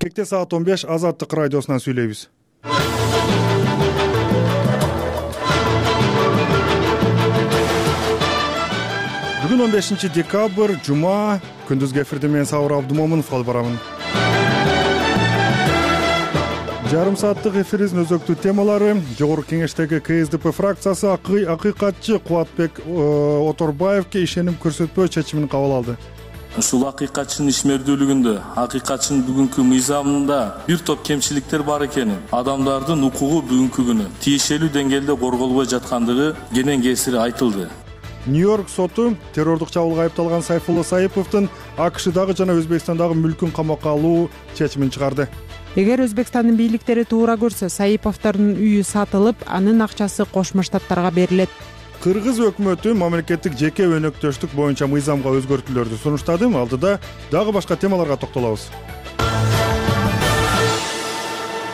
Кечте саат 15 Азаттык радиосунан сүйлөйбүз. Бүгүн 15 декабрь, жума, күндүзгү эфирде мен Сабыр Абдумомунов алып барамын. Жарым сааттык эфирибиздин өзөктүү темалары: Жогорку Кеңештеги КСДП фракциясы акыйкатчы Кубатбек Оторбаевге ишеним көрсөтпөө чечимин кабыл алды. Ушул акыйкатчынын ишмердүүлүгүндө, акыйкатчынын бүгүнкү мыйзамында бир топ кемчиликтер бар экенин, адамдардын укугу бүгүнкү күнү тиешелүү деңгээлде корголбой жаткандыгы кенен кесири айтылды. Нью-Йорк соту террордук чабуулга айыпталган Сайфулла Саиповдун АКШдагы жана Өзбекстандагы мүлкүн камакка алуу чечимин чыгарды. Эгер Өзбекстандын бийликтери туура көрсө, Саиповдордун үйү сатылып, анын акчасы Кошмо Штаттарга берилет. Кыргыз өкмөтү мамлекеттик жеке өнөктөштүк боюнча мыйзамга өзгөртүүлөрдү сунуштады. Алдыда дагы башка темаларга токтолобуз.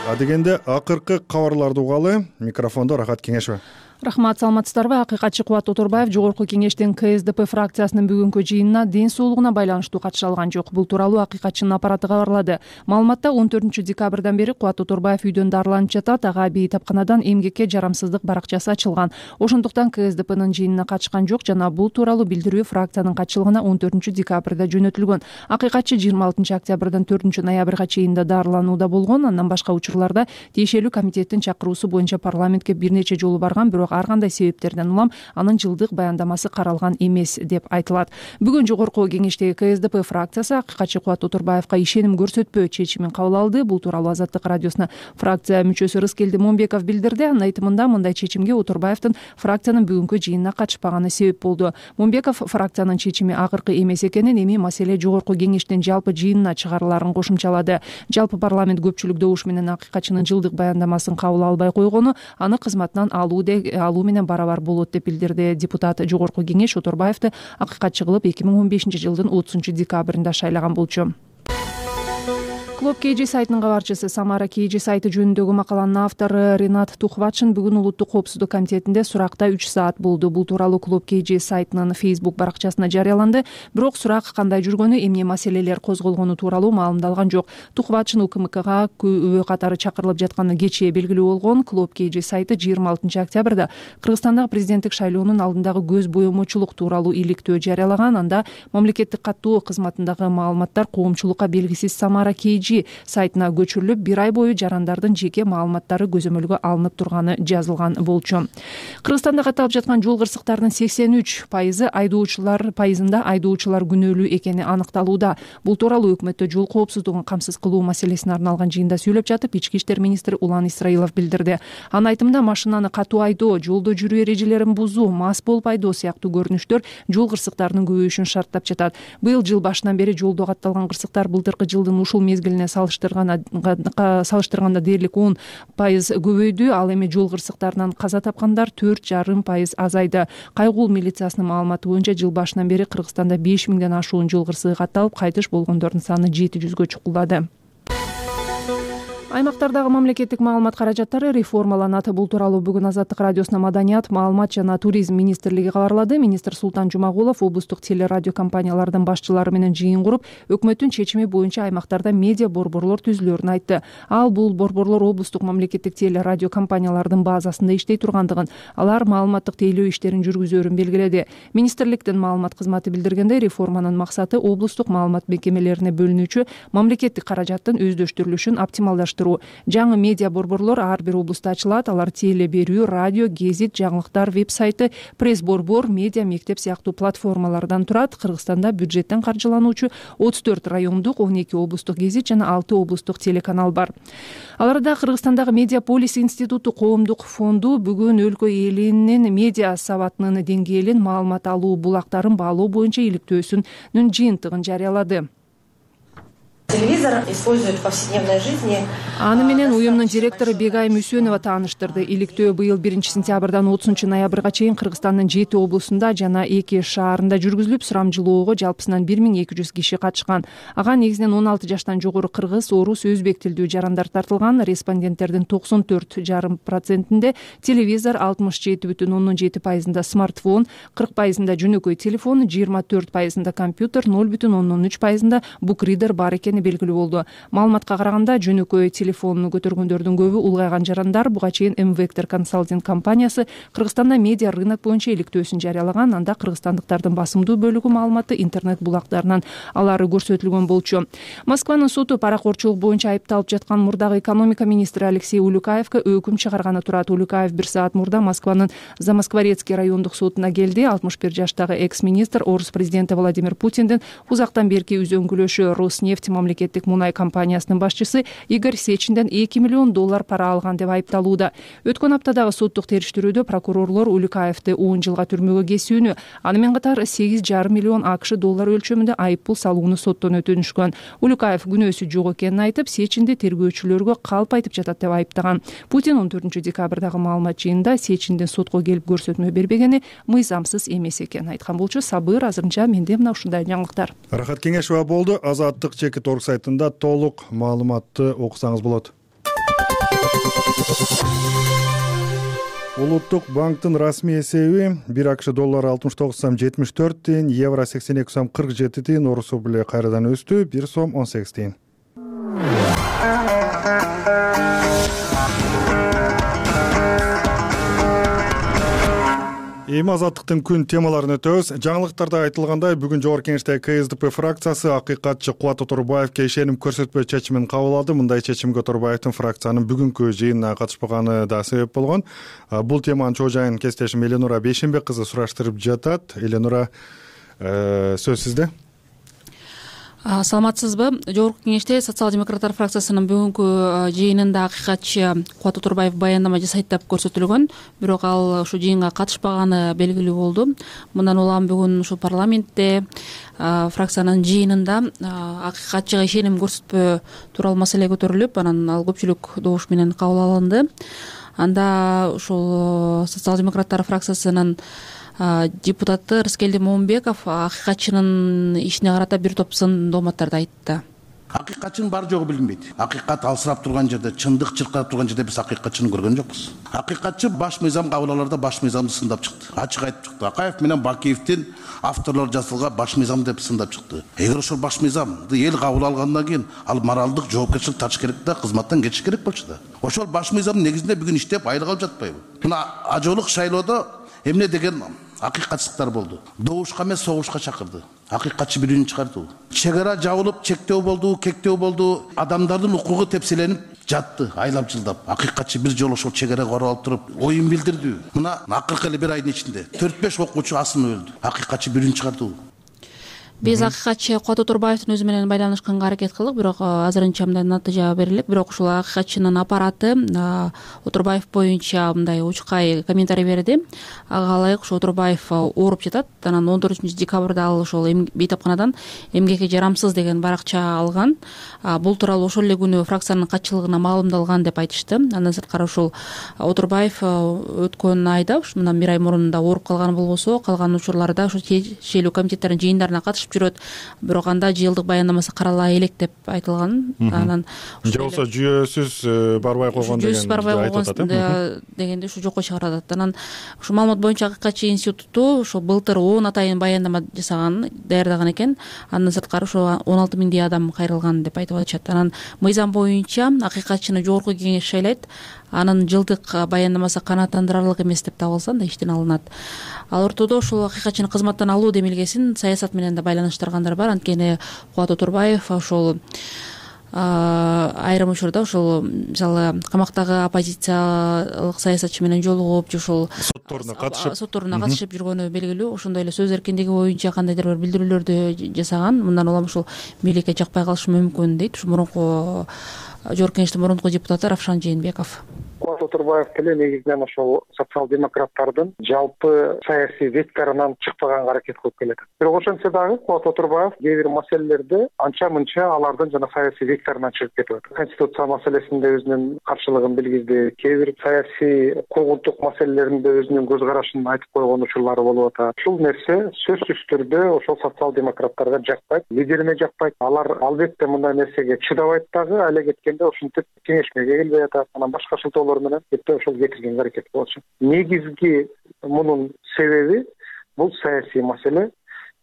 Адегенде акыркы кабарларды угалы. Микрофондо Рахат Кеңешева. Рахмат, саламатсыздарбы? Акыйкатчы Кубат Оторбаев Жогорку Кеңештин КСДП фракциясынын бүгүнкү жыйынына ден соолугуна байланыштуу катыша алган жок. Бул тууралуу акыйкатчынын аппараты кабарлады. Маалыматта 14-декабрдан бери Кубат Оторбаев үйдөн дарыланып жатат. Ага бейтапканадан эмгекке жарамсыздык баракчасы ачылган. Ошондуктан КСДПнын жыйынына катышкан жок жана бул тууралуу билдирүү фракциянын катчылыгына 14-декабрда жөнөтүлгөн. Акыйкатчы 26-октябрдан 4-ноябрга чейин да дарыланууда болгон. Андан башка учурларда тиешелүү комитеттин чакыруусу боюнча парламентке бир нече жолу барган, бирок ар кандай себептерден улам анын жылдык баяндамасы каралган эмес деп айтылат. Бүгүн Жогорку Кеңештеги КСДП фракциясы акыйкатчы Кубат Оторбаевга ишеним көрсөтпөө чечимин кабыл алды. Бул тууралуу Азаттык радиосуна фракция мүчөсү Рыскелди Момбеков билдирди. Анын айтымында мындай чечимге Оторбаевдин фракциянын бүгүнкү жыйынына катышпаганы себеп болду. Момбеков фракциянын чечими акыркы эмес экенин, эми маселе Жогорку Кеңештин жалпы жыйынына чыгарыларын кошумчалады. Жалпы парламент көпчүлүк добуш менен акыйкатчынын жылдык баяндамасын кабыл албай койгону аны кызматынан алуу менен барабар болот деп билдирди депутат. Жогорку Кеңеш Оторбаевди акыйкатчы кылып 2015 жылдын 30-декабрында шайлаган болчу. Клуб KG сайтынын кабарчысы, Самара KG сайты жөнүндөгү макаланын автору Ринат Тухватшин бүгүн Улуттук коопсуздук комитетинде суракта 3 саат болду. Бул тууралуу Клуб KG сайтынын Facebook баракчасына жарыяланды. Бирок сурак кандай жүргөнү, эмне маселелер козголгону тууралуу маалымдалган жок. Тухватшин УКМКга күбө катары чакырылып жатканы кечээ белгилүү болгон. Клуб KG сайты 26-октябрда Кыргызстандагы президенттик шайлоонун алдындагы көз боемочулук тууралуу иликтөө жарыялаган. Анда мамлекеттик каттоо кызматындагы маалыматтар коомчулукка белгисиз Самара KG сайтына көчүрүлүп, бир ай бою жарандардын жеке маалыматтары көзөмөлгө алынып турганы жазылган болчу. Кыргызстанда катталып жаткан жол кырсыктарынын 83%ында айдоочулар күнөөлүү экени аныкталууда. Бул тууралуу өкмөттө жол коопсуздугун камсыз кылуу маселесине арналган жыйында сүйлөп жатып, Ички иштер министри Улан Исраилов билдирди. Анын айтымында машинаны катуу айдоо, жолдо жүрүү эрежелерин бузуу, мас болуп айдоо сыяктуу көрүнүштөр жол кырсыктарынын көбөйүшүн шарттап жатат. Быйыл жыл башынан бери жолдо катталган кырсыктар былтыркы жылдын ушул мезгилине салыштырганда дээрлик 10% көбөйдү. Ал эми жол кырсыктарынан каза тапкандар 4,5% азайды. Кайгул милициясынын маалыматы боюнча жыл башынан бери Кыргызстанда 5000ден ашуун жол кырсыгы катталып, кайтыш болгондордун саны 700гө чукулдады. Аймактардагы мамлекеттик маалымат каражаттары реформаланат. Бул тууралуу бүгүн Азаттык радиосуна Маданият, маалымат жана туризм министрлиги кабарлады. Министр Султан Жумагулов облустук телерадио компаниялардын башчылары менен жыйын куруп, өкмөттүн чечими боюнча аймактарда медиа борборлор түзүлөрүн айтты. Ал бул борборлор облустук мамлекеттик телерадио компаниялардын базасында иштей тургандыгын, алар маалыматтык тейлөө иштерин жүргүзөрүн белгиледи. Министрликтин маалымат кызматы билдиргендей, реформанын максаты облустук маалымат мекемелерине бөлүнүүчү мамлекеттик каражаттын өздөштүрүлүшүн оптималдаштыруу. Жаңы медиа борборлор ар бир облустта ачылат. Алар теле берүү, радио, гезит, жаңылыктар, веб-сайты, пресс-борбор, медиа мектеп сыяктуу платформалардан турат. Кыргызстанда бюджеттен каржылануучу 34 райондук, 12 облустук гезит жана 6 облустук телеканал бар. Аларда Кыргызстандагы Медиаполис институту коомдук фонду бүгүн өлкө элинин медиа сабатынын деңгээлин, маалымат алуу булактарын баалоо боюнча иликтөөсүнүн жыйынтыгын жарыялады. Телевизор используют в повседневной жизни. Аны менен уюмдун директору Бегай Мүсөнова тааныштырды. Иликтөө быйыл 1-сентябрдан 30-ноябрга чейин Кыргызстандын 7 облусунда жана 2 шаарында жүргүзүлүп, сурамжылоого жалпысынан 1200 киши катышкан. Ага негизинен 16 жаштан жогору кыргыз, орус, өзбек тилдүү жарандар тартылган. Респонденттердин 94,5%-нде телевизор, 67,7%-нда смартфон, 40%-нда жөнөкөй телефон, 24%-нда компьютер, 0,3%-нда букридер бар экени экени белгилүү болду. Маалыматка караганда жөнөкөй телефонуну көтөргөндөрдүн көбү улгайган жарандар. Буга чейин М-Вектор консалтинг компаниясы Кыргызстанда медиа рынок боюнча иликтөөсүн жарыялаган. Анда кыргызстандыктардын басымдуу бөлүгү маалыматты интернет булактарынан алары көрсөтүлгөн болчу. Москванын соту паракорчулук боюнча айыпталып жаткан мурдагы экономика министри Алексей Улюкаевке өкүм чыгарганы турат. Улюкаев 1 саат мурда Москванын Замоскворецкий райондук сотуна келди. 61 жаштагы экс-министр орус президенти Владимир Путиндин узактан берки үзөңгүлөшү Роснефть мамлекеттик мунай компаниясынын башчысы Игорь Сечинден $2 миллион пара алган деп айыпталууда. Өткөн аптадагы соттук териштирүүдө прокурорлор Улюкаевди 10 жылга түрмөгө кесүүнү, аны менен катар $8,5 миллион өлчөмүндө айыппул салууну соттон өтүнүшкөн. Улюкаев күнөөсү жок экенин айтып, Сечинди тергөөчүлөргө калп айтып жатат деп айыптаган. Путин 14 декабрдагы маалымат жыйынында Сечиндин сотко келип көрсөтмө бербегени мыйзамсыз эмес экенин айткан болчу. Сабыр, азырынча менде мына ушундай жаңылыктар. Рахат Кеңешова болду. Азаттык чекит орг сайтында толук маалыматты окусаңыз болот. Улуттук банктын расмий эсеби 1 АКШ доллары 69 сом 74 тиын, евро 82 сом 47 тиын, орус рубль кайрадан өстү 1 сом 18 тиын. Эми азаттыктын күн темаларын өтөбүз. Жаңылыктарда айтылгандай, бүгүн Жогорку Кеңештеги КСДП фракциясы акыйкатчы Кубат Оторбаевке ишеним көрсөтпөө чечимин кабыл алды. Мындай чечимге Оторбаевдин фракциянын бүгүнкү жыйынына катышпаганы да себеп болгон. Бул теманын чоо жайын кесиптешим Эленура Бейшенбек кызы сураштырып жатат. Эленура, сөз сизде. Саламатсызбы? Жогорку Кеңеште социал-демократтар фракциясынын бүгүнкү жыйынында акыйкатчы Кубат Оторбаев баяндама жасайт деп көрсөтүлгөн, бирок ал ушу жыйынга катышпаганы белгилүү болду. Мындан улам бүгүн ушу парламентте фракциянын жыйынында акыйкатчыга ишеним көрсөтпөө тууралуу маселе көтөрүлүп, анан ал көпчүлүк добуш менен кабыл алынды. Анда ушул социал-демократтар фракциясынын депутаты Рыскелди Момунбеков акыйкатчынын ишине карата бир топ сын дооматтарды айтты. Акыйкатчынын бар жогу билинбейт. Акыйкат алсырап турган жерде, чындык чыркырап турган жерде биз акыйкатчыны көргөн жокпуз. Акыйкатчы баш мыйзам кабыл аларда баш мыйзамды сындап чыкты. Ачык айтып чыкты. Акаев менен Бакиевдин авторлор жасалган баш мыйзам деп сындап чыкты. Эгер ошол баш мыйзамды эл кабыл алгандан кийин ал моралдык жоопкерчилик тартыш керек да, кызматтан кетиш керек болчу да. Ошол баш мыйзамдын негизинде бүгүн иштеп айлык алып жатпайбы? Мына ажоолук шайлоодо эмне деген акыйкатчылыктар болду. Добушка эмес, согушка чакырды. Акыйкатчы бирүүнү чыгарды. Чек ара жабылып, чектөө болду, кектөө болду. Адамдардын укугу тепселенип жатты, айлап жылдап. Акыйкатчы бир жолу ошол чек арага барып алып туруп, оюн билдирди. Мына акыркы эле бир айдын ичинде 4-5 окуучу асынып өлдү. Акыйкатчы бирүүнү чыгарды. Биз акыйкатчы Кубат Оторбаевдин өзү менен байланышканга аракет кылдык, бирок азырынча мындай натыйжа бере элек. Бирок ушул акыйкатчынын аппараты Оторбаев боюнча мындай учкай комментарий берди. Ага ылайык ушу Оторбаев ооруп жатат. Анан 14 декабрда ал ошол бейтапканадан эмгекке жарамсыз деген баракча алган. Бул тууралуу ошол эле күнү фракциянын катчылыгына маалымдалган деп айтышты. Андан сырткары ушул Оторбаев өткөн айда, мындан бир ай мурун да ооруп калган болбосо, калган учурларда ошо тиешелүү комитеттердин жыйындарына катышып жүрөт, бирок анда жылдык баяндамасы карала элек деп айтылган. Анан же болсо жүйөсүз барбай койгон дегенде ушу жокко чыгарып атат. Анан ушу маалымат боюнча акыйкатчы институту ошо былтыр 10 атайын баяндама жасаган, даярдаган экен. Андан сырткары ошо 16 миңдей адам кайрылган деп айтып атышат. Анан мыйзам боюнча акыйкатчыны Жогорку Кеңеш шайлайт. Анын жылдык баяндамасы канааттандырарлык эмес деп табылса, анда иштен алынат. Ал ортодо ушул акыйкатчыны кызматтан алуу демилгесин саясат менен да байланыштыргандар бар. Анткени Кубат Оторбаев ошол айрым учурда ошол мисалы камактагы оппозициялык саясатчы менен жолугуп, ошол сотторуна катышып жүргөнү белгилүү. Ошондой эле сөз эркиндиги боюнча кандайдыр бир билдирүүлөрдү жасаган. Мындан улам ушул бийликке жакпай калышы мүмкүн дейт ушу мурунку Жогорку Кеңештин мурунку депутаты Равшан Жээнбеков. Кубат Оторбаев деле негизинен ошол социал-демократтардын жалпы саясий векторунан чыкпаганга аракет кылып келет. Бирок ошентсе дагы Кубат Оторбаев кээ бир маселелерде анча-мынча алардын жана саясий векторунан чыгып кетип атат. Конституция маселесинде өзүнүн каршылыгын билгизди, кээ бир саясий куугунтук маселелеринде өзүнүн көз карашын айтып койгон учурлары болуп атат. Ушул нерсе сөзсүз түрдө ошол социал-демократтарга жакпайт, лидерине жакпайт. Алар албетте мындай нерсеге чыдабайт дагы, эле кеткенде ушинтип кеңешмеге келбей атат. Анан башка шылтоолор менен кетти ошол кетиргенге аракет кылышат. Негизги мунун себеби бул саясий маселе.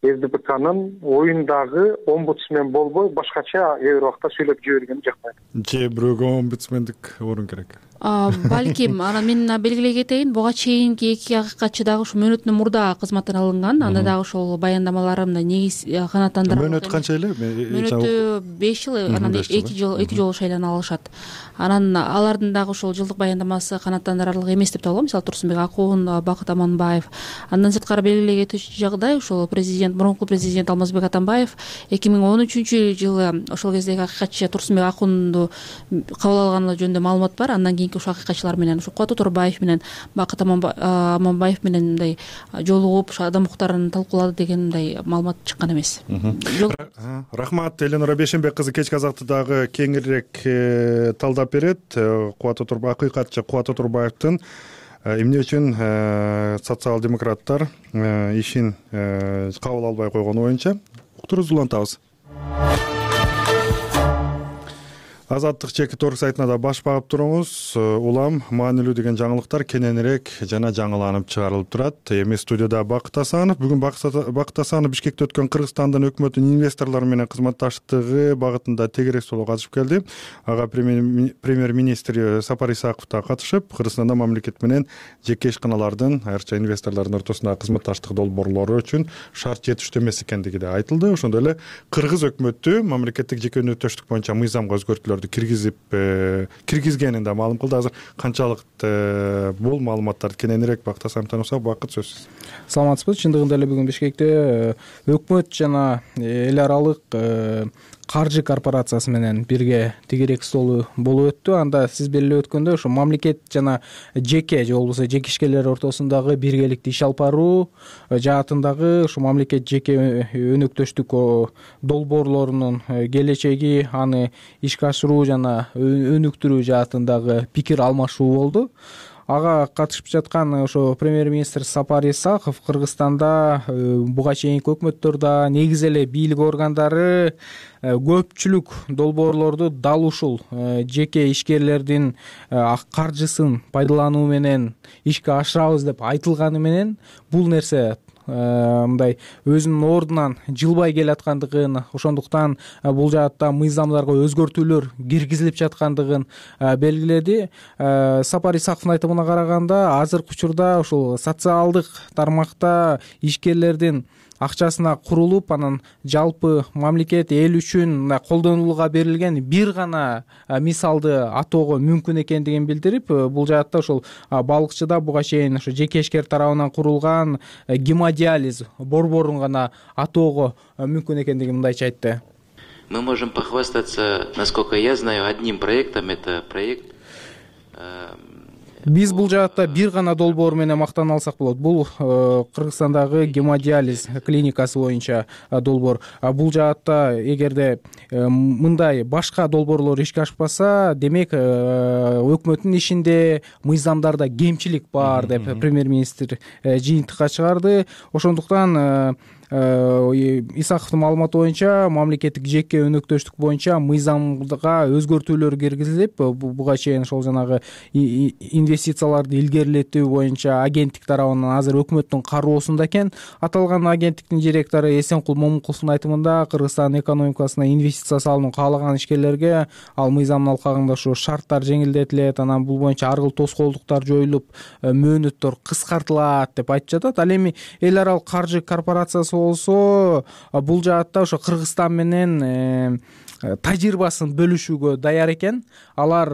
СДПКнын оюндагы омбудсмен болбой башкача кээ бир убакта сүйлөп жибергени жакпайт. Же бирөөгө омбудсмендик орун керек. Балким анан мен белгилей кетейин, буга чейинки эки акыйкатчы дагы ушу мөөнөттөн мурда кызматтан алынган. Анда дагы ошол баяндамалары мындай негиз канааттандырылган. Мөөнөт канча эле? Мөөнөтү 5 жыл, анан 2 жолу шайлана алышат. Анан алардын дагы ошол жылдык баяндамасы канааттандырарлык эмес деп табылат. Мисалы Турсунбек Акун, Бакыт Аманбаев. Андан сырткары белгилей кетүүчү жагдай ошол мурунку президент Алмазбек Атамбаев 2013-жылы ошол кездеги акыйкатчы Турсунбек Акунду кабыл алганы жөнүндө маалымат бар. Андан кийинки ошо акыйкатчылар менен ушу Кубат Оторбаев менен Бакыт Аманбаев менен мындай жолугуп адам укуктарын талкуулады деген мындай маалымат чыккан эмес. Рахмат, Эленора Бейшенбек кызы кечки азаттыдагы кеңирээк талдап берет. Акыйкатчы Кубат Оторбаевдин эмне үчүн социал-демократтар ишин кабыл албай койгону боюнча уктурубузду улантабыз. Азаттык чеки торг сайтына да баш багып туруңуз. Улам маанилүү деген жаңылыктар кененирээк жана жаңыланып чыгарылып турат. Эми студияда Бакыт Асанов. Бүгүн Бакыт Асанов Бишкекте өткөн Кыргызстандын өкмөтүнүн инвесторлор менен кызматташтыгы багытында тегерек соолу катышып келди. Ага премьер-министр Сапар Исаков да катышып, Кыргызстанда мамлекет менен жеке ишканалардын, айрыкча инвесторлордун ортосундагы кызматташтык долбоорлору үчүн шарт жетиштүү эмес экендиги да айтылды. Ошондой эле Кыргыз өкмөтү мамлекеттик жеке өнөктөштүк боюнча мыйзамга өзгөртүүлөр киргизгенин да маалым кылды. Азыр канчалык бул маалыматтарды кененирээк Бакыт Асанов танысак, Бакыт сөзсүз. Саламатсызбы? Чындыгында эле бүгүн Бишкекте өкмөт жана эл аралык каржы корпорациясы менен бирге тегерек столу болуп өттү. Анда сиз белгилеп өткөндөй ошо мамлекет жана жеке же болбосо жеке ишкерлер ортосундагы биргеликти иш алып баруу жаатындагы ошо мамлекет жеке өнөктөштүк долбоорлорунун келечеги, аны ишке ашыруу жана өнүктүрүү жаатындагы пикир алмашуу болду. Ага катышып жаткан ошо премьер-министр Сапар Исаков Кыргызстанда буга чейинки өкмөттөрдө негизи эле бийлик органдары көпчүлүк долбоорлорду дал ушул жеке ишкерлердин каржысын пайдалануу менен ишке ашырабыз деп айтылганы менен бул нерсе мындай өзүнүн ордунан жылбай келаткандыгын, ошондуктан бул жаатта мыйзамдарга өзгөртүүлөр киргизилип жаткандыгын белгиледи. Сапар Исаковдун айтымына караганда, азыркы учурда ушул социалдык тармакта ишкерлердин акчасына курулуп, анан жалпы мамлекет эл үчүн колдонулууга берилген бир гана мисалды атоого мүмкүн экендигин билдирип, бул жаатта ошол балыкчыда буга чейин ошо жеке ишкер тарабынан курулган гемодиализ борборун гана атоого мүмкүн экендигин мындайча айтты. Мы можем похвастаться, насколько я знаю, одним проектом. Это проект. Биз бул жаатта бир гана долбоор менен мактана алсак болот. Бул Кыргызстандагы гемодиализ клиникасы боюнча долбоор. Бул жаатта эгерде мындай башка долбоорлор ишке ашпаса, демек өкмөттүн ишинде мыйзамдарда кемчилик бар деп премьер-министр жыйынтыкка чыгарды. Ошондуктан Исаковдун маалыматы боюнча мамлекеттик жеке өнөктөштүк боюнча мыйзамга өзгөртүүлөр киргизилип, буга чейин ошол жанагы инвестицияларды илгерилетүү боюнча агенттик тарабынан азыр өкмөттүн кароосунда экен. Аталган агенттиктин директору Эсенкул Момуковдун айтымында, Кыргызстан экономикасына инвестиция салууну каалаган ишкерлерге ал мыйзамдын алкагында ушу шарттар жеңилдетилет, анан бул боюнча ар кыл тоскоолдуктар жоюлуп, мөөнөттөр кыскартылат деп айтып жатат. Ал эми эл аралык каржы корпорациясы болсо бул жаатта ошо Кыргызстан менен тажрыйбасын бөлүшүүгө даяр экен. Алар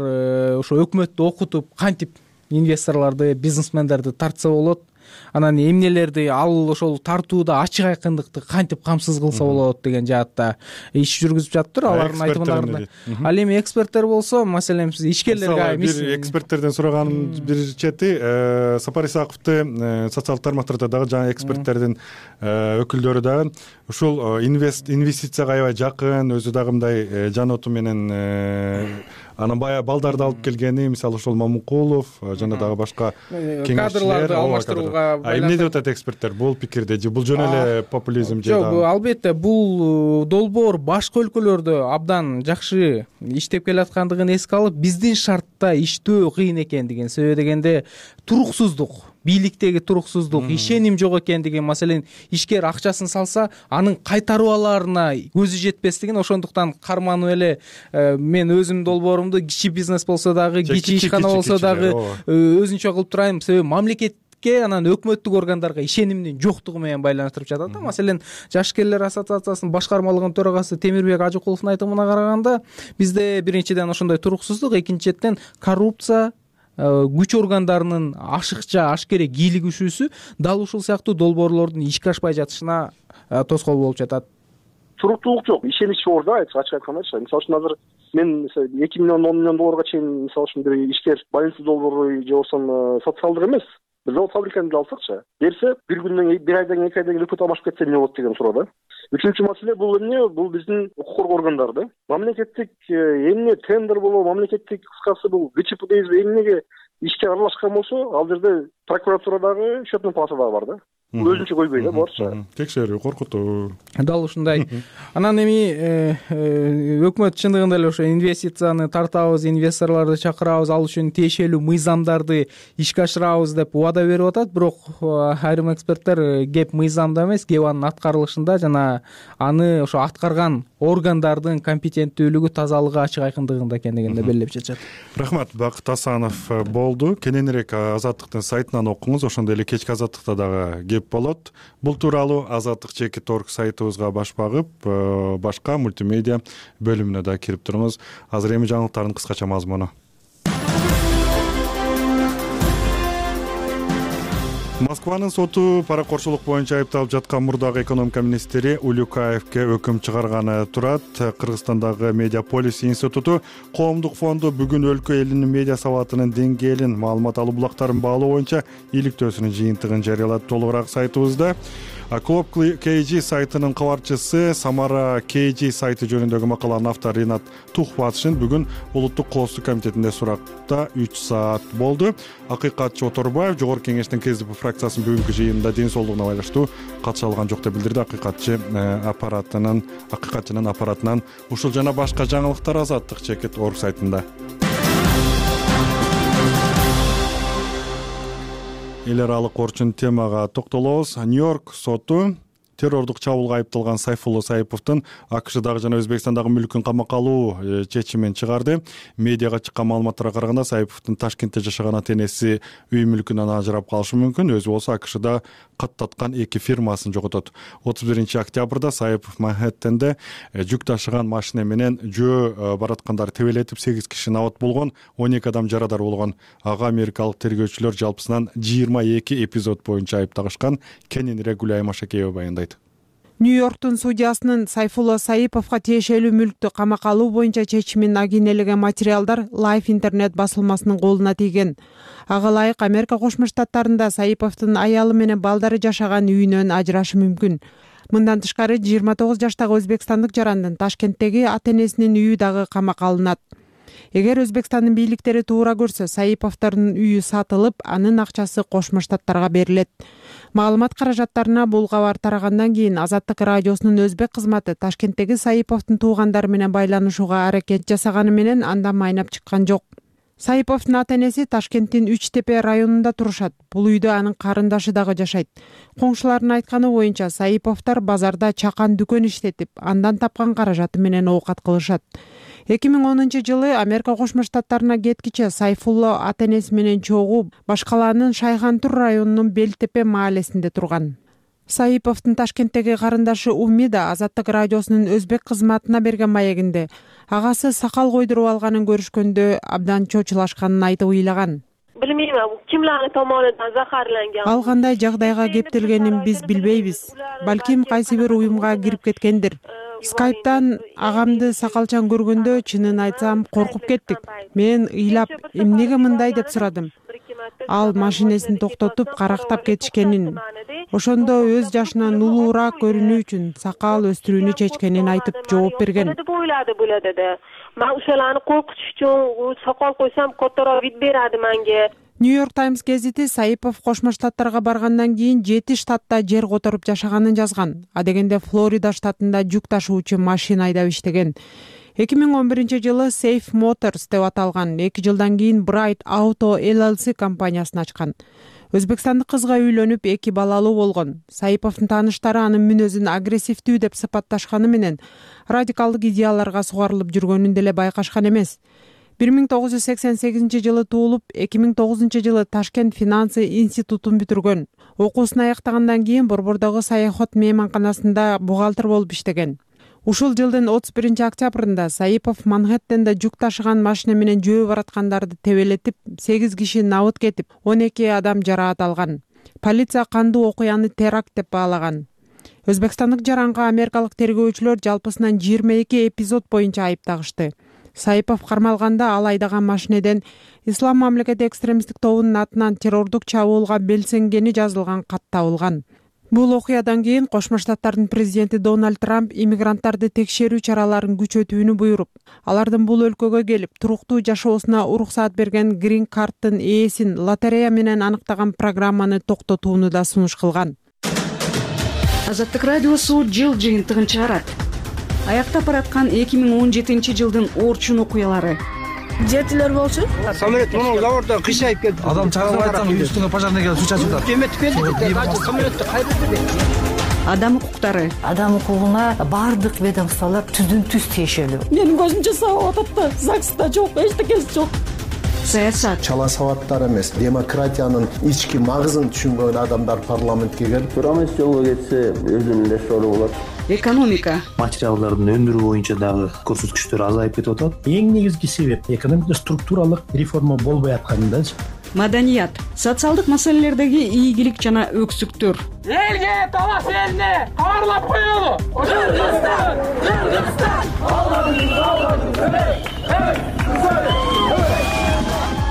ошо өкмөттү окутуп, кантип инвесторлорду, бизнесмендерди тартса болот, анан эмнелерди ал ошол тартууда ачык айкындыкты кантип камсыз кылса болот деген жаатта иш жүргүзүп жатыптыр. Алардын айтымдарында. Ал эми эксперттер болсо, маселен биз ишкерлерге бир эксперттерден сураганын бир чети, Сапар Исаковду социалдык тармактарда дагы жаңы эксперттердин өкүлдөрү дагы ушул инвестицияга аябай жакын, өзү дагы мындай жаноту менен анан баягы балдарды алып келгени, мисалы ошол Мамукулов жана дагы башка кадрларды алмаштырууга эмне деп атат эксперттер бул пикирде? Же бул жөн эле популизм же? Жок, албетте бул долбоор башка өлкөлөрдө абдан жакшы иштеп келаткандыгын эске алып, биздин шартта иштөө кыйын экендигин, себеби дегенде туруксуздук бийликтеги туруксуздук, ишеним жок экендиги, маселен ишкер акчасын салса анын кайтарып алаарына көзү жетпестигин, ошондуктан карманып эле мен өзүмдүн долбоорумду кичи бизнес болсо дагы, кичи ишкана болсо дагы өзүнчө кылып турайм, себеби мамлекетке анан өкмөттүк органдарга ишенимдин жоктугу менен байланыштырып жатат да. Маселен жашкерлер ассоциациясынын башкармалыгынын төрагасы Темирбек Ажыкуловдун айтымына караганда, бизде биринчиден ошондой туруксуздук, экинчиден коррупция, күч органдарынын ашыкча ашкере кийлигишүүсү дал ушул сыяктуу долбоорлордун ишке ашпай жатышына тоскоол болуп жатат. Туруктуулук жок, ишенич жок да, ачык айткандачы. Мисалы үчүн азыр мен 2 миллион 10 миллион долларга чейин мисалы үчүн бир ишкер больница долбоору же болбосо социалдык эмес, бир завод фабриканы деле алсакчы, берсе бир күндөн бир айдан 2 айдан кийин өкмөт алмашып кетсе эмне болот деген суроо да. Үчүнчү маселе бул эмне? Бул биздин укук коргоо органдары да. Мамлекеттик эмне тендер болобу, мамлекеттик кыскасы бул ГЧП дейбизби, эмнеге ишке аралашкан болсо, ал жерде прокуратурадагы, счетный палатадагы бар да. Өзүнчө койбой да, буларчы. Текшерүү, коркутуу. Дал ушундай. Анан эми өкмөт чындыгында эле ошо инвестицияны тартабыз, инвесторлорду чакырабыз, ал үчүн тиешелүү мыйзамдарды ишке ашырабыз деп убада берип атат. Бирок айрым эксперттер кеп мыйзамда эмес, кеп анын аткарылышында жана аны ошо аткарган органдардын компетенттүүлүгү, тазалыгы, ачык айкындыгында экендигин да белгилеп жатышат. Рахмат, Бакыт Асанов болду. Кененирээк Азаттыктын сайтынан окуңуз, ошондой эле кечки Азаттыкта дагы кеп болот. Бул тууралуу azattik.org сайтыбызга баш багып, башка мультимедиа бөлүмүнө да кирип туруңуз. Азыр эми жаңылыктардын кыскача мазмуну. Москванын соту паракорчулук боюнча айыпталып жаткан мурдагы экономика министри Улюкаевке өкүм чыгарганы турат. Кыргызстандагы Медиаполис институту коомдук фонду бүгүн өлкө элинин медиа сабатынын деңгээлин, маалымат алуу булактарын баалоо боюнча иликтөөсүнүн жыйынтыгын жарыялады. Толугураак сайтыбызда. Клуб KG сайтынын кабарчысы Самара KG сайты жөнүндөгү макаланын автору Ринат Тухбатшин бүгүн улуттук коопсуздук комитетинде суракта 3 саат болду. Акыйкатчы Оторбаев жогорку кеңештин КСДП фракциясынын бүгүнкү жыйынында ден соолугуна байланыштуу катыша алган жок деп билдирди. Акыйкатчынын аппаратынан ушул жана башка жаңылыктар azattik.org сайтында. Эл аралык орчун темага токтолобуз. Нью-Йорк соту террордук чабуулга айыпталган Сайфулло Саиповдун АКШдагы жана Өзбекстандагы мүлкүн камакка алуу чечимин чыгарды. Медиага чыккан маалыматтарга караганда Саиповдун Ташкентте жашаган ата-энеси үй мүлкүнөн ажырап калышы мүмкүн. Өзү болсо АКШда каттаткан 2 фирмасын жоготот. 31-октябрда Саипов Манхэттенде жүк ташыган машина менен жөө бараткандар тебелетип 8 киши набат болгон, 12 адам жарадар болгон. Ага америкалык тергөөчүлөр жалпысынан 22 эпизод боюнча айыптагышкан. Кененирээк Гүлай Машакеева баяндайт. Нью-Йорктун судьясынын Сайфулло Саиповго тиешелүү мүлктү камакка алуу боюнча чечимин агинелеген материалдар Life интернет басылмасынын колуна тийген. Ага ылайык Америка Кошмо Штаттарында Саиповдун аялы менен балдары жашаган үйүнөн ажырашы мүмкүн. Мындан тышкары 29 жаштагы өзбекстандык жарандын Ташкенттеги ата-энесинин үйү дагы камакка алынат. Эгер Өзбекстандын бийликтери туура көрсө, Саиповдордун үйү сатылып, анын акчасы Кошмо Штаттарга берилет. Маалымат каражаттарына бул кабар тарагандан кийин Азаттык радиосунун өзбек кызматы Ташкенттеги Саиповдун туугандары менен байланышууга аракет жасаганы менен андан майнап чыккан жок. Саиповдун ата-энеси Ташкенттин Үч Тепе районунда турушат. Бул үйдө анын карындашы дагы жашайт. Коңшулардын айтканы боюнча Саиповдор базарда чакан дүкөн иштетип, андан тапкан каражаты менен оокат кылышат. 2010-жылы Америка Кошмо Штаттарына кеткиче Сайфулло ата-энеси менен чогуу Башкаланын Шайхантур районунун Белтепе маалесинде турган. Саиповдун Ташкенттеги карындашы Умида Азаттык радиосунун өзбек кызматына берген маегинде агасы сакал койдуруп алганын көрүшкөндө абдан чочулашканын айтып ыйлаган. Билмейм, кимлердин tomonidan zaharlangan. Ал кандай жагдайга кептелгенин биз билбейбиз. Балким кайсы бир уюмга кирип кеткендир. Скайптан агамды сакалчан көргөндө, чынын айтсам, коркуп кеттик. Мен ыйлап, эмнеге мындай деп сурадым. Ал машинесин токтотуп, карактап кетишкенин, ошондо өз жашынан улуураак көрүнүү үчүн сакал өстүрүүнү чечкенин айтып жооп берген. Мен ошоларны коркутуш үчүн сакал койсом, котороп вид берди менге. Нью-Йорк Таймс гезити Саипов Кошмо Штаттарга баргандан кийин 7 штатта жер которуп жашаганын жазган. Адегенде Флорида штатында жүк ташуучу машина айдап иштеген. 2011-жылы Safe Motors деп аталган, 2 жылдан кийин Bright Auto LLC компаниясын ачкан. Өзбекстандык кызга үйлөнүп 2 балалуу болгон. Саиповдун тааныштары анын мүнөзүн агрессивдүү деп сыпатташканы менен радикалдык идеяларга сугарылып жүргөнүн деле байкашкан эмес. 1988 туулуп, 2009 Ташкент финансы институтун бүтүргөн. Окуусун аяктагандан кийин Борбордогу Саяхат мейманканасында бухгалтер болуп иштеген. Ушул жылдын 31-октябрында Саипов Манхэттенде жүк ташыган машина менен жөө бараткандарды тебелетип, 8 киши набыт кетип, 12 адам жараат алган. Полиция кандуу окуяны теракт деп баалаган. Өзбекстандык жаранга америкалык тергөөчүлөр жалпысынан 22 эпизод боюнча айып тагышты. Саипов кармалганда ал айдаган машинеден Ислам мамлекети экстремисттик тобунун атынан террордук чабуулга белсенгени жазылган кат табылган. Бул окуядан кийин Кошмо Штаттардын президенти Дональд Трамп иммигранттарды текшерүү чараларын күчөтүүнү буйруп, алардын бул өлкөгө келип туруктуу жашоосуна уруксаат берген грин карттын ээсин лотерея менен аныктаган программаны токтотууну да сунуш кылган. Азаттык радиосу жыл жыйынтыгын чыгарат. Аяктап бараткан 2017 жылдын Орчун окуялары. Жетилер болчу. Самолет муну заводдо кыйшайып кетти. Адам чагылып айтсаң, үстүңө пожарный келип суу чачып атат. Кеметип келди. Самолетти кайрылды. Адам укуктары. Адам укугуна бардык ведомстволор түздүн-түз тиешелүү. Менин көзүмчө сабап атат да, ЗАГСта жок, эчтекеси жок. Саясат. Чала сабаттар эмес, демократиянын ички магызын түшүнгөн адамдар парламентке келип, Турамес жолго кетсе, өзүнүн эле сору болот. Экономика. Материалдардын өндүрүү боюнча дагы көрсөткүчтөр азайып кетип атат. Эң негизги себеп экономикада структуралык реформа болбой аткандачы. Маданият. Социалдык маселелердеги ийгилик жана өксүктөр. Элге, талаш элине кабарлап коелу.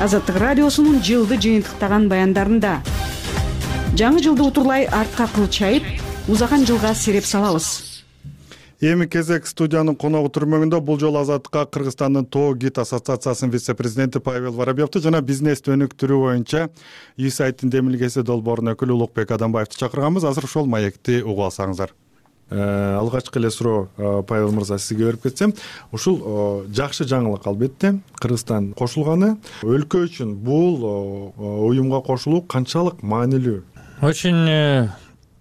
Азаттык радиосунун жылды жыйынтыктаган баяндарында жаңы жылды утурлай артка кылчайып, узаган жылга сереп салабыз. Эми кезек студиянын коногу түрмөгүндө бул жолу Азаттыкка Кыргызстандын Тоо Гид ассоциациясынын вице-президенти Павел Воробьевду жана бизнести өнүктүрүү боюнча USAID-тин демилгеси долбоорунун өкүлү Улукбек Адамбаевди чакырганбыз. Азыр ошол маекти угуп алсаңыздар. Алгачкы эле суроо Павел мырза сизге берип кетсем, ушул жакшы жаңылык албетте. Кыргызстан кошулганы өлкө үчүн бул уюмга кошулуу канчалык маанилүү? Очень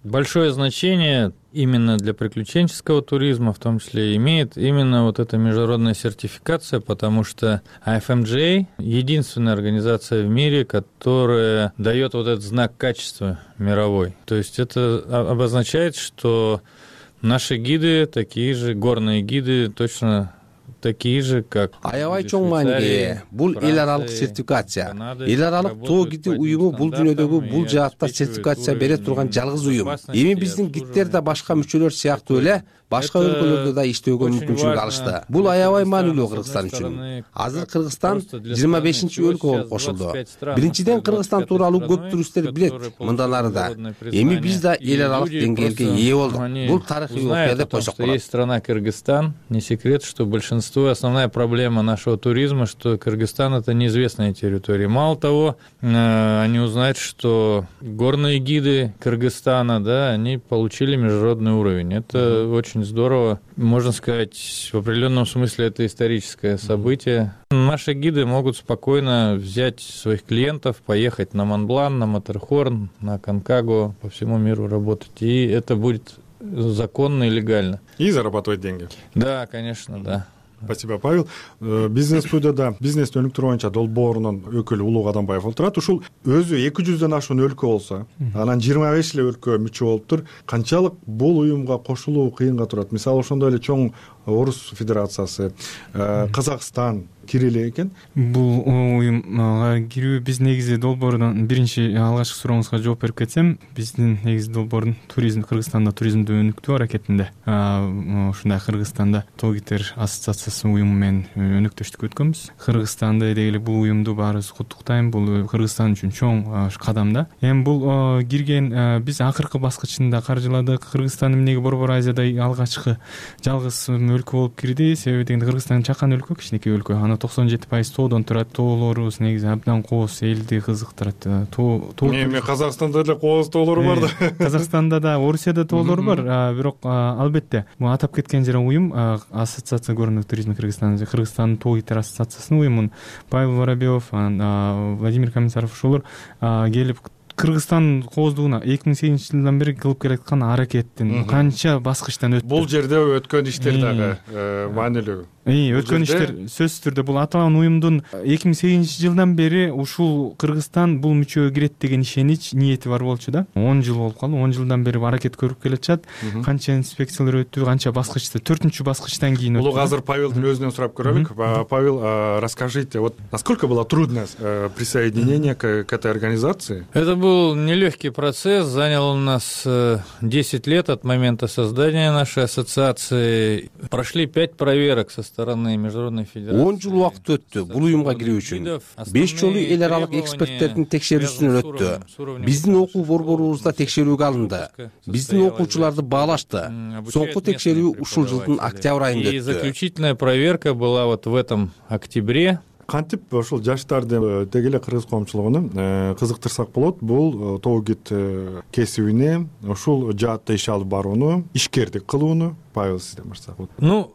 большое значение именно для приключенческого туризма, в том числе, имеет именно вот эта международная сертификация, потому что IFMJ — единственная организация в мире, которая дает вот этот знак качества мировой. То есть это обозначает, что наши гиды такие же, горные гиды точно такие же, как аябай чоң мааниге ээ. Бул эл аралык сертификация. Эл аралык Тоо Гиди уюму бул дүйнөдөгү бул жаатта сертификация бере турган жалгыз уюм. Эми биздин гидтер да башка мүчөлөр сыяктуу эле башка өлкөлөрдө да иштөөгө мүмкүнчүлүк алышты. Бул аябай маанилүү Кыргызстан үчүн. Азыр Кыргызстан 25-чи өлкө болуп кошулду. Биринчиден Кыргызстан тууралуу көп туристтер билет, мындан ары да. Эми биз да эл аралык деңгээлге ээ болдук. Бул тарыхый окуя деп койсок болот. Есть страна Кыргызстан. Не секрет, что большинство, основная проблема нашего туризма, что Кыргызстан — это неизвестная территория. Мало того, они узнают, что горные гиды Кыргызстана, да, они получили международный уровень. Это очень здорово. Можно сказать, в определенном смысле это историческое событие. Наши гиды могут спокойно взять своих клиентов, поехать на Монблан, на Матерхорн, на Конкагуа, по всему миру работать. И это будет законно и легально. И зарабатывать деньги. Да, конечно, да. Спасибо, Павел. Бизнес студияда бизнести өнүктүрүү боюнча долбоорунун өкүлү Улук Адамбаев отурат. Ушул өзү 200дөн ашуун өлкө болсо, анан 25 эле өлкө мүчө болуптур. Канчалык бул уюмга кошулуу кыйынга турат? Мисалы, ошондой эле чоң Орус Федерациясы, Казакстан кире эле экен. Бул уюмга кирүү биз негизи долбоордун биринчи алгачкы сурооңузга жооп берип кетсем, биздин негизи долбоордун туризм, Кыргызстанда туризмди өнүктүү аракетинде. Ушундай Кыргызстанда Тоо Гидтер ассоциациясы уюму менен өнөктөштүк өткөнбүз. Кыргызстанда деги эле бул уюмду баарыбыз куттуктайм. Бул Кыргызстан үчүн чоң кадам да. Эми бул кирген биз акыркы баскычында каржыладык. Кыргызстан эмнеге Борбор Азияда алгачкы жалгыз өлкө болуп кирди? Себеби дегенде Кыргызстан чакан өлкө, кичинекей өлкө. Аны 97% тоодон турат. Тоолорубуз негизи абдан кооз, элди кызыктырат. Эми Казакстанда деле кооз тоолору бар да. Казакстанда да, Орусияда тоолор бар. Бирок албетте бул атап кеткен жер уюм ассоциация горного туризма Кыргызстана, Кыргызстандын Тоо Гидтер ассоциациясынын уюмун Павел Воробьев, Владимир Комиссаров ошолор келип Кыргызстан кооздугуна 2008-жылдан бери кылып келаткан аракеттин канча баскычтан өттү. Бул жерде өткөн иштер дагы маанилүү. Өткөн иштер сөзсүз түрдө бул аталган уюмдун 2008-жылдан бери ушул Кыргызстан бул мүчөгө кирет деген ишенич ниети бар болчу да. 10 жыл болуп калды. 10 жылдан бери аракет көрүп келатышат. Канча инспекциялар өттү, канча баскычта, 4-чү баскычтан кийин өттү. Улук азыр Павелдин өзүнөн сурап көрөлүк. Павел, расскажите, вот насколько было трудно присоединение к этой организации? Это был нелегкий процесс, занял у нас 10 лет от момента создания нашей ассоциации. Прошли 5 проверок со стороны Международной Федерации. 10 жыл убакыт өттү бул уюмга кирүү үчүн. 5 жолу эл аралык эксперттердин текшерүүсүнөн өттү. Биздин окуу борборубузда текшерүүгө алынды. Биздин окуучуларды баалашты. Соңку текшерүү ушул жылдын октябрь айында өттү. И заключительная проверка была вот в этом октябре. Кантип ошол жаштарды деги эле кыргыз коомчулугуна кызыктырсак болот, бул тоо гид кесибине ушул жаатта иш алып барууну, ишкердик кылууну. Павел, сизден баштасак. Ну,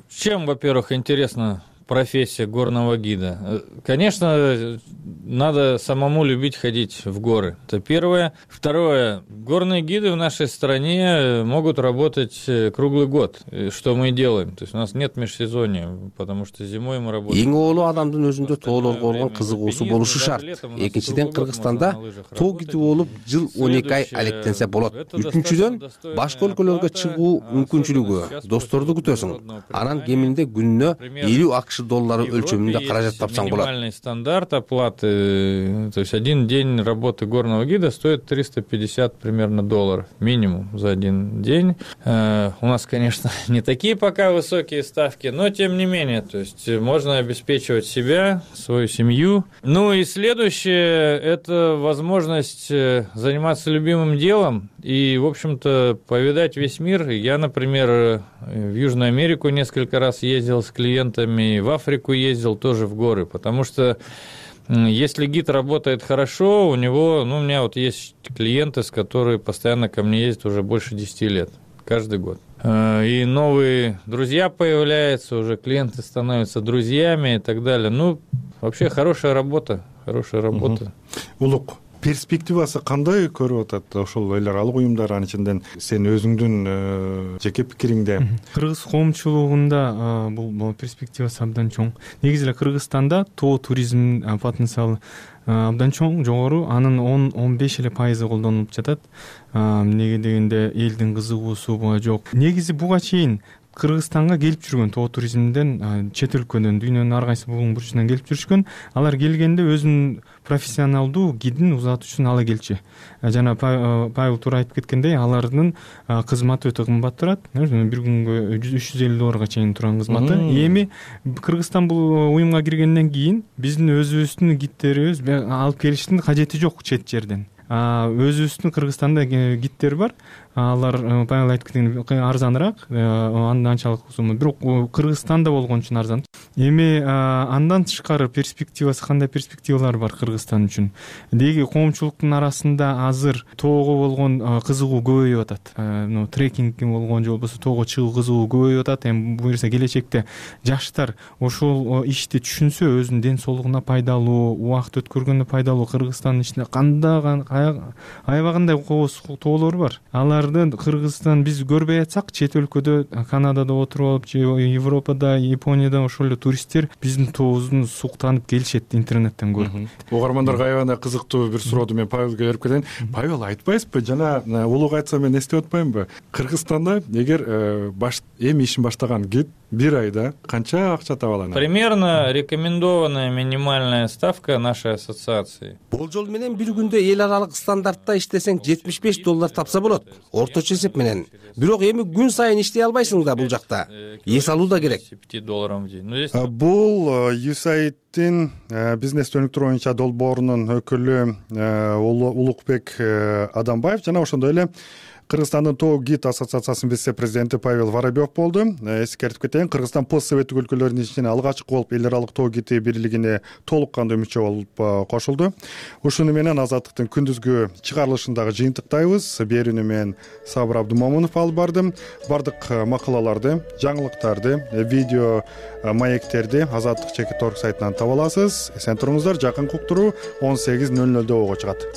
чем, во-первых, интересна профессия горного гида? Конечно, надо самому любить ходить в горы. Это первое. Второе. Горные гиды в нашей стране могут работать круглый год. Что мы и делаем. То есть у нас нет межсезонья, потому что зимой мы работаем. Эң оолу адамдын өзүндө тоолорго болгон кызыгуусу болушу шарт. Экинчиден, Кыргызстанда тоо гиди болуп жыл 12 ай алектенсе болот. Үчүнчүдөн, башка өлкөлөргө чыгуу мүмкүнчүлүгү. Досторду күтөсүң. Анан кеминде күнүнө 50 акш доллары өлчөмүндө каражат тапсаң болот. Минимальный стандарт оплаты, то есть один день работы горного гида стоит 350 примерно долларов минимум за один день. У нас, конечно, не такие пока высокие ставки, но тем не менее, то есть можно обеспечивать себя, свою семью. Ну и следующее – это возможность заниматься любимым делом и, в общем-то, повидать весь мир. Я, например, в Южную Америку несколько раз ездил с клиентами, в Африку ездил тоже в горы, потому что если гид работает хорошо, у него, ну, у меня вот есть клиенты, которые постоянно ко мне ездят уже больше 10 лет, каждый год. И новые друзья появляются, уже клиенты становятся друзьями и так далее. Ну, вообще хорошая работа, хорошая работа. Улук, перспективасы кандай көрүп атат ошол эл аралык уюмдар, анын ичинен сен өзүңдүн жеке пикириңде? Кыргыз коомчулугунда бул перспективасы абдан чоң. Негизи эле Кыргызстанда тоо туризм потенциалы абдан чоң, жогору. Анын 10-15 эле пайызы колдонулуп жатат. Эмнеге дегенде элдин кызыгуусу буга жок. Негизи буга чейин Кыргызстанга келип жүргөн тоо туризмден чет өлкөдөн, дүйнөнүн ар кайсы бугун бурчунан келип жүрүшкөн. Алар келгенде өзүнүн профессионалдуу гидин узатуу үчүн ала келчү. Жана Павел туура айтып кеткендей, алардын кызматы өтө кымбат турат. Бир күнгө 350 долларга чейин турган кызматы. Эми Кыргызстан бул уюмга киргенден кийин биздин өзүбүздүн гидтерибиз алып келиштин кажети жок чет жерден. Өзүбүздүн Кыргызстанда гидтер бар. Алар Павел айтып кеткендей арзаныраак, анчалык сумма. Бирок Кыргызстанда болгон үчүн арзан. Эми андан тышкары перспективасы, кандай перспективалар бар Кыргызстан үчүн? Деги коомчулуктун арасында азыр тоого болгон кызыгуу көбөйүп атат. Трекинг болгон же болбосо тоого чыгуу кызыгуу көбөйүп атат. Эми буюрса келечекте жаштар ошол ишти түшүнсө, өзүнүн ден соолугуна пайдалуу, убакыт өткөргөнгө пайдалуу Кыргызстандын ичинде кандай аябагандай тоолор бар. Аларды Кыргызстан биз көрбөй атсак, чет өлкөдө, Канадада отуруп алып, же Европада, Японияда ошол эле туристтер биздин тообуздун суктанып келишет интернеттен көрүп. Угармандарга аябагандай кызыктуу бир сурооду мен Павелге берип кетейин. Павел, айтпайсызбы, жана улук айтса мен эстеп атпаймынбы? Кыргызстанда эгер эми ишин баштаган гид бир айда канча акча таба алат? Примерно рекомендованная минимальная ставка нашей ассоциации. Болжол менен бир күндө эл аралык стандартта иштесең 75 доллар тапса болот. Орточо эсеп менен. Бирок эми күн сайын иштей албайсың да бул жакта. Эс алуу да керек. $50 в день. Бул USAID-тин бизнес өнүктүрүү боюнча долбоорунун өкүлү Улукбек Адамбаев жана ошондой эле Кыргызстандын тоо гид ассоциациясынын вице-президенти Павел Воробьев болду. Эскертип кетейин, Кыргызстан постсоветтик өлкөлөрдүн ичинен алгачкы болуп эл аралык тоо гиди бирлигине толук кандуу мүчө болуп кошулду. Ушуну менен Азаттыктын күндүзгү чыгарылышындагы жыйынтыктайбыз. Берүүнү мен Сабыр Абдумомунов алып бардым. Бардык макалаларды, жаңылыктарды, видео маектерди Азаттык.org сайтынан таба аласыз. Эсен туруңуздар. Жакынкы уктуруу 18:00 ого чыгат.